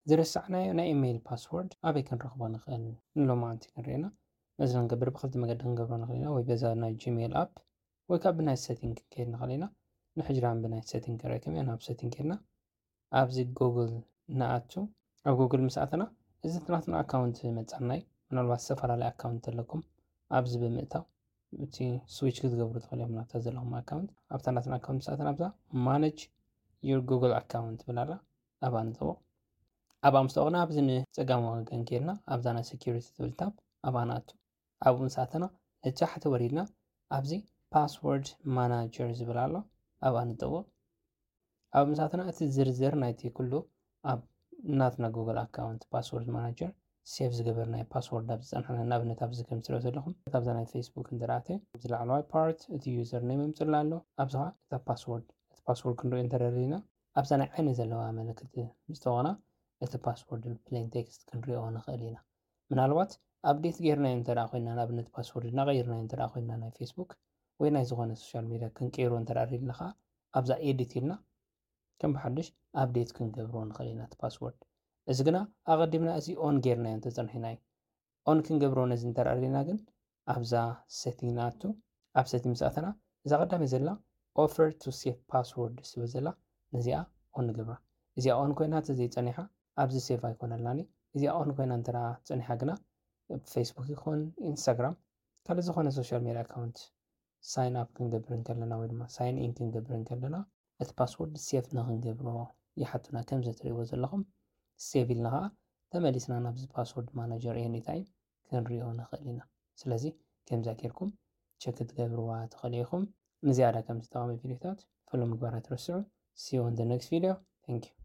ዝረሳዕናዮ ናይ ኢሜይል ፓስወርድ ኣበይ ክንረኽቦ ንኽእል ንሎማዓንቲ ክንሪና። ነዚ ንገብር ብክልቲ መገዲ ክንገብሮ ንኽእል ኢና፣ ወይ በዛ ናይ ጂሜይል ኣፕ ወይ ካብ ብናይ ሴቲንግ ክንከይድ ንኽእል ኢና። ንሕጅራን ብናይ ሴቲንግ ክንረክብ ኢና። ናብ ሴቲንግ ከይድና ኣብዚ ጉግል ንኣቱ። ኣብ ጉግል ምስ ኣተና እዚ ናትና ኣካውንት መጻናይ። ምናልባት ዝተፈላለየ ኣካውንት ኣለኩም ኣብዚ ብምእታው እቲ ስዊች ክትገብሩ ትኽእሉ እዮም ናብታ ዘለኹም ኣካውንት። ኣብታ ናትና ኣካውንት ምስ ኣተና ኣብዛ ማነጅ ዩር ጉግል ኣካውንት ብላላ ኣብኣ ንጠውቕ። ኣብኣ ምስ ጠወቕና ኣብዚ ንጸጋም ወገን ከይድና ኣብዛ ናይ ሴኪሪቲ ትብል ታብ ኣብኣ ንኣቱ። ኣብኡ ምስ ኣተና ንታሕቲ ወሪድና ኣብዚ ፓስወርድ ማናጀር ዝብል ኣሎ ኣብኣ ንጠውቕ። ኣብኡ ምስ ኣተና እቲ ዝርዝር ናይቲ ኩሉ ኣብ ናትና ጉግል ኣካውንት ፓስወርድ ማናጀር ሴቭ ዝገበርናዮ ፓስወርድ ኣብ ዝጸንሐና ንኣብነት ኣብዚ ከም ትሪኦ ዘለኹም ኣብዛ ናይ ፌስቡክ እንድራተ ኣብዚ ላዕለዋይ ፓርት እቲ ዩዘር ኔም ምጽላ ኣሎ ኣብዚ ኸዓ እታ ፓስወርድ እቲ ፓስወርድ ክንሪኦ እንተደሊና ኣብዛ ናይ ዓይኒ ዘለዋ ምልክት ምስ ጠወቕና እቲ ፓስወርድ ብፕሌን ቴክስት ክንሪኦ ንኽእል ኢና። ምናልባት ኣፕዴት ጌርናዮ እንተ ደኣ ኮይንና ንኣብነት ፓስወርድ እናቐይርናዮ እንተ ደኣ ኮይንና ናይ ፌስቡክ ወይ ናይ ዝኾነ ሶሻል ሚድያ ክንቀይሮ እንተ ደኣ ደሊና ኸዓ ኣብዛ ኤዲት ኢልና ከም ብሓድሽ ኣፕዴት ክንገብሮ ንኽእል ኢና እቲ ፓስወርድ። እዚ ግና ኣቐዲምና እዚ ኦን ጌርናዮ እንተጸኒሕና እዩ። ኦን ክንገብሮ ነዚ እንተ ደኣ ደሊና ግን ኣብዛ ሴቲንግ ንኣቱ። ኣብ ሴቲንግ ምስ ኣተና እዛ ቀዳመይ ዘላ ኦፈር ቱ ሴቭ ፓስወርድ ትብል ዘላ ነዚኣ ኦን ንገብራ። እዚኣ ኦን ኮይና ተዘይጸኒሓ ኣብዚ ሴቭ ኣይኮነላን እዩ። እዚኣ ኦን ኮይና እንተ ደኣ ጸኒሓ ግና ፌስቡክ ይኹን ኢንስታግራም ካልእ ዝኾነ ሶሻል ሚድያ ኣካውንት ሳይን ኣፕ ክንገብር እንከለና ወይ ድማ ሳይን ኢን ክንገብር እንከለና እቲ ፓስወርድ ሴቭ ንክንገብሮ ይሓቱና። ከምዚ ትሪእዎ ዘለኹም ሴቭ ኢልና ኸዓ ተመሊስና ናብዚ ፓስወርድ ማናጀር ኤኒ ታይም ክንሪኦ ንኽእል ኢና። ስለዚ ከምዛ ጌርኩም ቸክ ክትገብርዋ ትኽእሉ ኢኹም። ንዝያዳ ከም ዝጠቐመ ቪድዮታት ፎሎ ምግባር ኣይትረስዑ። See you on the next video. Thank you.